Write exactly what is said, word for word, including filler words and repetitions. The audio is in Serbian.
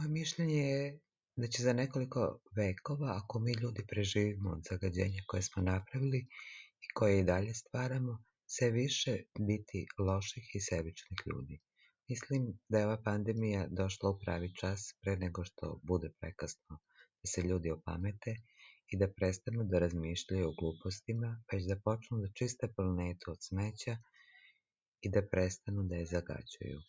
Moje mišljenje je da će za nekoliko vekova, ako mi ljudi preživimo od zagađenja koje smo napravili i koje i dalje stvaramo, sve više biti loših i sebičnih ljudi. Mislim da je ova pandemija došla u pravi čas pre nego što bude prekasno da se ljudi opamete i da prestanu da razmišljaju o glupostima, već da počnu da čiste planetu od smeća i da prestanu da je zagađuju.